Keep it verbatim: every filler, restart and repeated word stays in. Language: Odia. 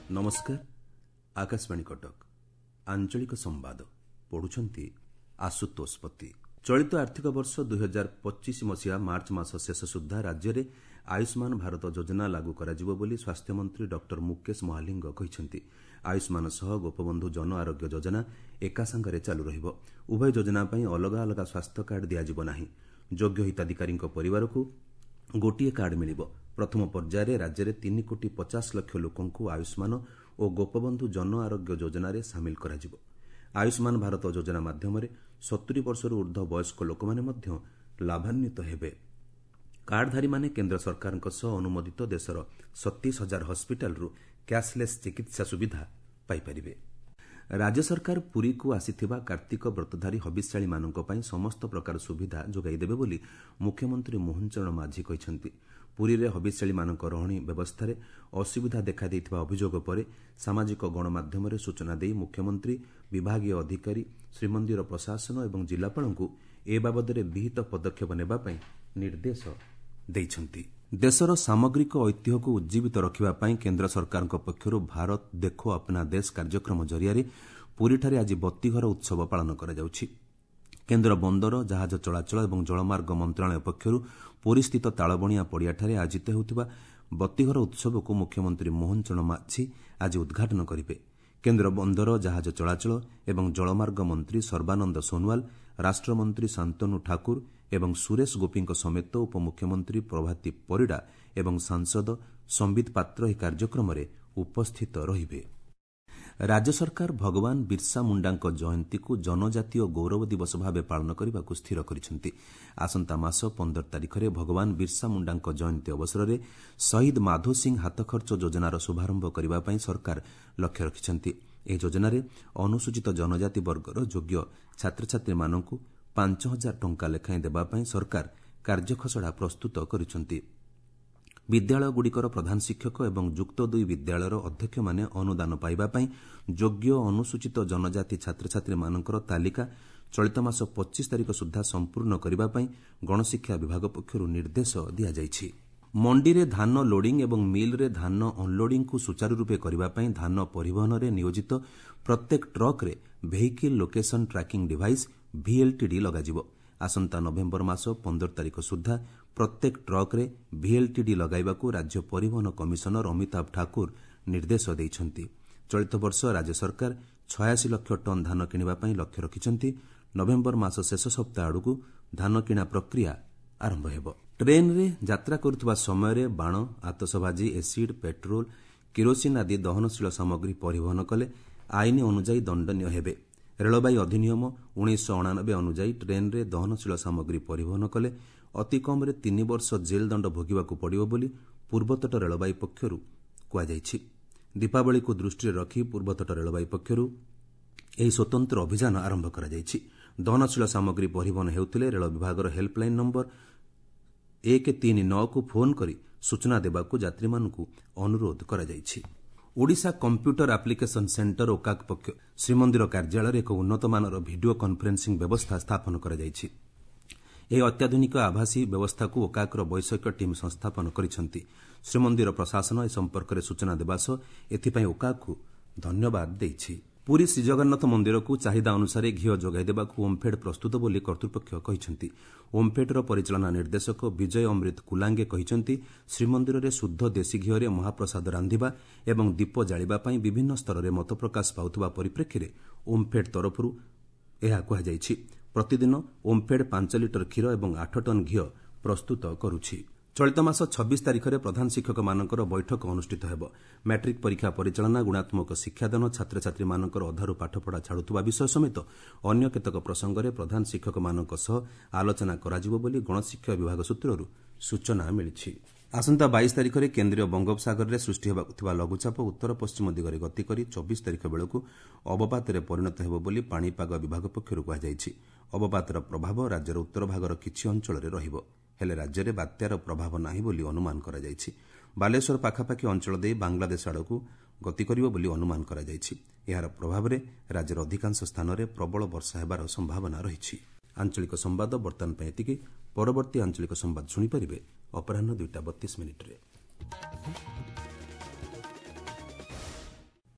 ନମସ୍କାର, ଆକାଶବାଣୀ କଟକ। ଆଞ୍ଚଳିକ ସମ୍ବାଦ ପଢୁଛନ୍ତି ଆଶୁତୋଷ ପତି। ଚଳିତ ଆର୍ଥିକ ବର୍ଷ ଦୁଇହଜାର ପଚିଶ ମସିହା ମାର୍ଚ୍ଚ ମାସ ଶେଷ ସୁଦ୍ଧା ରାଜ୍ୟରେ ଆୟୁଷ୍ମାନ ଭାରତ ଯୋଜନା ଲାଗୁ କରାଯିବ ବୋଲି ସ୍ୱାସ୍ଥ୍ୟମନ୍ତ୍ରୀ ଡକ୍ଟର ମୁକେଶ ମହାଲିଙ୍ଗ କହିଛନ୍ତି। ଆୟୁଷ୍ମାନ ସହ ଗୋପବନ୍ଧୁ ଜନ ଆରୋଗ୍ୟ ଯୋଜନା ଏକାସାଙ୍ଗରେ ଚାଲୁ ରହିବ। ଉଭୟ ଯୋଜନା ପାଇଁ ଅଲଗା ଅଲଗା ସ୍ୱାସ୍ଥ୍ୟ କାର୍ଡ ଦିଆଯିବ ନାହିଁ। ଯୋଗ୍ୟ ହିତାଧିକାରୀଙ୍କ ପରିବାରକୁ ଗୋଟିଏ କାର୍ଡ ମିଳିବ। ପ୍ରଥମ ପର୍ଯ୍ୟାୟରେ ରାଜ୍ୟରେ ତିନି କୋଟି ପଚାଶ ଲକ୍ଷ ଲୋକଙ୍କୁ ଆୟୁଷ୍ମାନ ଓ ଗୋପବନ୍ଧୁ ଜନ ଆରୋଗ୍ୟ ଯୋଜନାରେ ସାମିଲ କରାଯିବ। ଆୟୁଷ୍ମାନ ଭାରତ ଯୋଜନା ମାଧ୍ୟମରେ ସତୁରି ବର୍ଷରୁ ଉର୍ଦ୍ଧ୍ୱ ବୟସ୍କ ଲୋକମାନେ ମଧ୍ୟ ଲାଭାନ୍ୱିତ ହେବେ। କାର୍ଡଧାରୀମାନେ କେନ୍ଦ୍ର ସରକାରଙ୍କ ସହ ଅନୁମୋଦିତ ଦେଶର ସତେଇଶ ହଜାର ହସ୍ପିଟାଲରୁ କ୍ୟାସ୍ଲେସ୍ ଚିକିତ୍ସା ସୁବିଧା ପାଇପାରିବେ। ରାଜ୍ୟ ସରକାର ପୁରୀକୁ ଆସିଥିବା କାର୍ତ୍ତିକ ବ୍ରତଧାରୀ ହବିଷ୍ୟାଳିମାନଙ୍କ ପାଇଁ ସମସ୍ତ ପ୍ରକାର ସୁବିଧା ଯୋଗାଇ ଦେବେ ବୋଲି ମୁଖ୍ୟମନ୍ତ୍ରୀ ମୋହନ ଚରଣ ମାଝୀ କହିଛନ୍ତି। ପୁରୀରେ ହବିଷ୍ୟାଳିମାନଙ୍କ ରହଣି ବ୍ୟବସ୍ଥାରେ ଅସୁବିଧା ଦେଖାଦେଇଥିବା ଅଭିଯୋଗ ପରେ ସାମାଜିକ ଗଣମାଧ୍ୟମରେ ସୂଚନା ଦେଇ ମୁଖ୍ୟମନ୍ତ୍ରୀ ବିଭାଗୀୟ ଅଧିକାରୀ, ଶ୍ରୀମନ୍ଦିର ପ୍ରଶାସନ ଏବଂ ଜିଲ୍ଲାପାଳଙ୍କୁ ଏ ବାବଦରେ ବିହିତ ପଦକ୍ଷେପ ନେବା ପାଇଁ ନିର୍ଦ୍ଦେଶ ଦେଇଛନ୍ତି। ଦେଶର ସାମଗ୍ରିକ ଐତିହ୍ୟକୁ ଉଜ୍ଜୀବିତ ରଖିବା ପାଇଁ କେନ୍ଦ୍ର ସରକାରଙ୍କ ପକ୍ଷରୁ ଭାରତ ଦେଖୋ ଅପନା ଦେଶ କାର୍ଯ୍ୟକ୍ରମ ଜରିଆରେ ପୁରୀଠାରେ ଆଜି ବତୀଘର ଉତ୍ସବ ପାଳନ କରାଯାଉଛି। କେନ୍ଦ୍ର ବନ୍ଦର, ଜାହାଜ ଚଳାଚଳ ଏବଂ ଜଳମାର୍ଗ ମନ୍ତ୍ରଣାଳୟ ପକ୍ଷରୁ ପୁରୀସ୍ଥିତ ତାଳବଣିଆ ପଡ଼ିଆଠାରେ ଆୟୋଜିତ ହେଉଥିବା ବତୀଘର ଉତ୍ସବକୁ ମୁଖ୍ୟମନ୍ତ୍ରୀ ମୋହନ ଚରଣ ମାଝୀ ଆଜି ଉଦ୍ଘାଟନ କରିବେ। କେନ୍ଦ୍ର ବନ୍ଦର, ଜାହାଜ ଚଳାଚଳ ଏବଂ ଜଳମାର୍ଗ ମନ୍ତ୍ରୀ ସର୍ବାନନ୍ଦ ସୋନୱାଲ, ରାଷ୍ଟ୍ରମନ୍ତ୍ରୀ ଶାନ୍ତନୁ ଠାକୁର ଏବଂ ସୁରେଶ ଗୋପୀଙ୍କ ସମେତ ଉପମୁଖ୍ୟମନ୍ତ୍ରୀ ପ୍ରଭାତୀ ପରିଡ଼ା ଏବଂ ସାଂସଦ ସମ୍ବିତ ପାତ୍ର ଏହି କାର୍ଯ୍ୟକ୍ରମରେ ଉପସ୍ଥିତ ରହିବେ। ରାଜ୍ୟ ସରକାର ଭଗବାନ ବିର୍ସା ମୁଣ୍ଡାଙ୍କ ଜୟନ୍ତୀକୁ ଜନଜାତୀୟ ଗୌରବ ଦିବସ ଭାବେ ପାଳନ କରିବାକୁ ସ୍ଥିର କରିଛନ୍ତି। ଆସନ୍ତା ମାସ ପନ୍ଦର ତାରିଖରେ ଭଗବାନ ବିର୍ସା ମୁଣ୍ଡାଙ୍କ ଜୟନ୍ତୀ ଅବସରରେ ଶହୀଦ ମାଧୋ ସିଂ ହାତଖର୍ଚ୍ଚ ଯୋଜନାର ଶୁଭାରମ୍ଭ କରିବା ପାଇଁ ସରକାର ଲକ୍ଷ୍ୟ ରଖିଛନ୍ତି। ଏହି ଯୋଜନାରେ ଅନୁସୂଚିତ ଜନଜାତି ବର୍ଗର ଯୋଗ୍ୟ ଛାତ୍ରଛାତ୍ରୀମାନଙ୍କୁ ପାଞ୍ଚ ହଜାର ଟଙ୍କା ଲେଖାଏଁ ଦେବା ପାଇଁ ସରକାର କାର୍ଯ୍ୟଖସଡ଼ା ପ୍ରସ୍ତୁତ କରିଛନ୍ତି। ବିଦ୍ୟାଳୟଗୁଡ଼ିକର ପ୍ରଧାନ ଶିକ୍ଷକ ଏବଂ ଯୁକ୍ତ ଦୁଇ ବିଦ୍ୟାଳୟର ଅଧ୍ୟକ୍ଷମାନେ ଅନୁଦାନ ପାଇବା ପାଇଁ ଯୋଗ୍ୟ ଅନୁସୂଚିତ ଜନଜାତି ଛାତ୍ରଛାତ୍ରୀମାନଙ୍କର ତାଲିକା ଚଳିତ ମାସ ପଚିଶ ତାରିଖ ସୁଦ୍ଧା ସମ୍ପୂର୍ଣ୍ଣ କରିବା ପାଇଁ ଗଣଶିକ୍ଷା ବିଭାଗ ପକ୍ଷରୁ ନିର୍ଦ୍ଦେଶ ଦିଆଯାଇଛି। ମଣ୍ଡିରେ ଧାନ ଲୋଡିଂ ଏବଂ ମିଲ୍ରେ ଧାନ ଅନ୍ଲୋଡିଂକୁ ସୁଚାରୁରୂପେ କରିବା ପାଇଁ ଧାନ ପରିବହନରେ ନିୟୋଜିତ ପ୍ରତ୍ୟେକ ଟ୍ରକ୍ରେ vehicle location tracking device VLTD ଲଗାଯିବ। ଆସନ୍ତା ନଭେମ୍ବର ମାସ ପନ୍ଦର ତାରିଖ ସୁଦ୍ଧା ପ୍ରତ୍ୟେକ ଟ୍ରକ୍ରେ ଭିଏଲ୍ଟିଡି ଲଗାଇବାକୁ ରାଜ୍ୟ ପରିବହନ କମିଶନର ଅମିତାଭ ଠାକୁର ନିର୍ଦ୍ଦେଶ ଦେଇଛନ୍ତି। ଚଳିତ ବର୍ଷ ରାଜ୍ୟ ସରକାର ଛୟାଅଶୀ ଲକ୍ଷ ଟନ୍ ଧାନ କିଣିବା ପାଇଁ ଲକ୍ଷ୍ୟ ରଖିଛନ୍ତି। ନଭେମ୍ବର ମାସ ଶେଷ ସପ୍ତାହ ଆଡ଼କୁ ଧାନ କିଣା ପ୍ରକ୍ରିୟା ଆରମ୍ଭ ହେବ। ଟ୍ରେନ୍ରେ ଯାତ୍ରା କରୁଥିବା ସମୟରେ ବାଣ, ଆତସବାଜି, ଏସିଡ୍, ପେଟ୍ରୋଲ, କିରୋସିନ୍ ଆଦି ଦହନଶୀଳ ସାମଗ୍ରୀ ପରିବହନ କଲେ ଆଇନ ଅନୁଯାୟୀ ଦଣ୍ଡନୀୟ ହେବେ। ରେଳବାଇ ଅଧିନିୟମ ଉଣେଇଶହ ଅଣାନବେ ଅନୁଯାୟୀ ଟ୍ରେନ୍ରେ ଦହନଶୀଳ ସାମଗ୍ରୀ ପରିବହନ କଲେ ଅତି କମ୍ରେ ତିନି ବର୍ଷ ଜେଲ୍ ଦଣ୍ଡ ଭୋଗିବାକୁ ପଡ଼ିବ ବୋଲି ପୂର୍ବତଟ ରେଳବାଇ ପକ୍ଷରୁ କୁହାଯାଇଛି। ଦୀପାବଳିକୁ ଦୃଷ୍ଟିରେ ରଖି ପୂର୍ବତଟ ରେଳବାଇ ପକ୍ଷରୁ ଏହି ସ୍ୱତନ୍ତ୍ର ଅଭିଯାନ ଆରମ୍ଭ କରାଯାଇଛି। ଦହନଶୀଳ ସାମଗ୍ରୀ ପରିବହନ ହେଉଥିଲେ ରେଳ ବିଭାଗର ହେଲ୍ପଲାଇନ୍ ନମ୍ବର ଏକ ତିନି ନଅକୁ ଫୋନ୍ କରି ସୂଚନା ଦେବାକୁ ଯାତ୍ରୀମାନଙ୍କୁ ଅନୁରୋଧ କରାଯାଇଛି। ଓଡ଼ିଶା କମ୍ପ୍ୟୁଟର ଆପ୍ଲିକେସନ୍ ସେଣ୍ଟର ଓକାକ୍ ପକ୍ଷ ଶ୍ରୀମନ୍ଦିର କାର୍ଯ୍ୟାଳୟରେ ଏକ ଉନ୍ନତମାନର ଭିଡିଓ କନ୍ଫରେନ୍ସିଂ ବ୍ୟବସ୍ଥା ସ୍ଥାପନ କରାଯାଇଛି। ଏହି ଅତ୍ୟାଧୁନିକ ଆଭାସୀ ବ୍ୟବସ୍ଥାକୁ ଓକାକ୍ର ବୈଷୟିକ ଟିମ୍ ସଂସ୍ଥାପନ କରିଛନ୍ତି। ଶ୍ରୀମନ୍ଦିର ପ୍ରଶାସନ ଏ ସମ୍ପର୍କରେ ସୂଚନା ଦେବା ସହ ଏଥିପାଇଁ ଓକାକ୍କୁ ଧନ୍ୟବାଦ ଦେଇଛି। ପୁରୀ ଶ୍ରୀଜଗନ୍ନାଥ ମନ୍ଦିରକୁ ଚାହିଦା ଅନୁସାରେ ଘିଅ ଯୋଗାଇ ଦେବାକୁ ଓମ୍ଫେଡ୍ ପ୍ରସ୍ତୁତ ବୋଲି କର୍ତ୍ତୃପକ୍ଷ କହିଛନ୍ତି। ଓମ୍ଫେଡ୍ର ପରିଚାଳନା ନିର୍ଦ୍ଦେଶକ ବିଜୟ ଅମୃତ କୁଲାଙ୍ଗେ କହିଛନ୍ତି, ଶ୍ରୀମନ୍ଦିରରେ ଶୁଦ୍ଧ ଦେଶୀ ଘିଅରେ ମହାପ୍ରସାଦ ରାନ୍ଧିବା ଏବଂ ଦୀପ ଜାଳିବା ପାଇଁ ବିଭିନ୍ନ ସ୍ତରରେ ମତପ୍ରକାଶ ପାଉଥିବା ପରିପ୍ରେକ୍ଷୀରେ ଓମ୍ଫେଡ୍ ତରଫରୁ ଏହା କୁହାଯାଇଛି। ପ୍ରତିଦିନ ଓମ୍ଫେଡ୍ ପାଞ୍ଚ ଲିଟର କ୍ଷୀର ଏବଂ ଆଠ ଟନ୍ ଘିଅ ପ୍ରସ୍ତୁତ କରୁଛି। ଚଳିତ ମାସ ଛବିଶ ତାରିଖରେ ପ୍ରଧାନ ଶିକ୍ଷକମାନଙ୍କର ବୈଠକ ଅନୁଷ୍ଠିତ ହେବ। ମ୍ୟାଟ୍ରିକ୍ ପରୀକ୍ଷା ପରିଚାଳନା, ଗୁଣାତ୍ମକ ଶିକ୍ଷାଦାନ, ଛାତ୍ରଛାତ୍ରୀମାନଙ୍କର ଅଧାରୁ ପାଠପଢ଼ା ଛାଡ଼ୁଥିବା ବିଷୟ ସମେତ ଅନ୍ୟ କେତେକ ପ୍ରସଙ୍ଗରେ ପ୍ରଧାନ ଶିକ୍ଷକମାନଙ୍କ ସହ ଆଲୋଚନା କରାଯିବ ବୋଲି ଗଣଶିକ୍ଷା ବିଭାଗ ସୂତ୍ରରୁ ସୂଚନା ମିଳିଛି। ଆସନ୍ତା ବାଇଶ ତାରିଖରେ କେନ୍ଦ୍ରୀୟ ବଙ୍ଗୋପସାଗରରେ ସୃଷ୍ଟି ହେବାକୁ ଥିବା ଲଘୁଚାପ ଉତ୍ତର ପଶ୍ଚିମ ଦିଗରେ ଗତି କରି ଚବିଶ ତାରିଖ ବେଳକୁ ଅବପାତରେ ପରିଣତ ହେବ ବୋଲି ପାଣିପାଗ ବିଭାଗ ପକ୍ଷରୁ କୁହାଯାଇଛି। ଅବପାତର ପ୍ରଭାବ ରାଜ୍ୟର ଉତ୍ତର ଭାଗର କିଛି ଅଞ୍ଚଳରେ ରହିବ। ହେଲେ ରାଜ୍ୟରେ ବାତ୍ୟାର ପ୍ରଭାବ ନାହିଁ ବୋଲି ଅନୁମାନ କରାଯାଇଛି। ବାଲେଶ୍ୱର ପାଖାପାଖି ଅଞ୍ଚଳ ଦେଇ ବାଂଲାଦେଶ ଆଡ଼କୁ ଗତି କରିବ ବୋଲି ଅନୁମାନ କରାଯାଇଛି। ଏହାର ପ୍ରଭାବରେ ରାଜ୍ୟର ଅଧିକାଂଶ ସ୍ଥାନରେ ପ୍ରବଳ ବର୍ଷା ହେବାର ସମ୍ଭାବନା ରହିଛି। ଆଞ୍ଚଳିକ ସମ୍ବାଦ ବର୍ତ୍ତମାନ ପାଇଁ ଏତିକି। ପରବର୍ତ୍ତୀ ଆଞ୍ଚଳିକ ସମ୍ବାଦ ଶୁଣିପାରିବେ ଅପରାହ୍ନ ଦୁଇଟା ବତିଶ ମିନିଟ୍ରେ।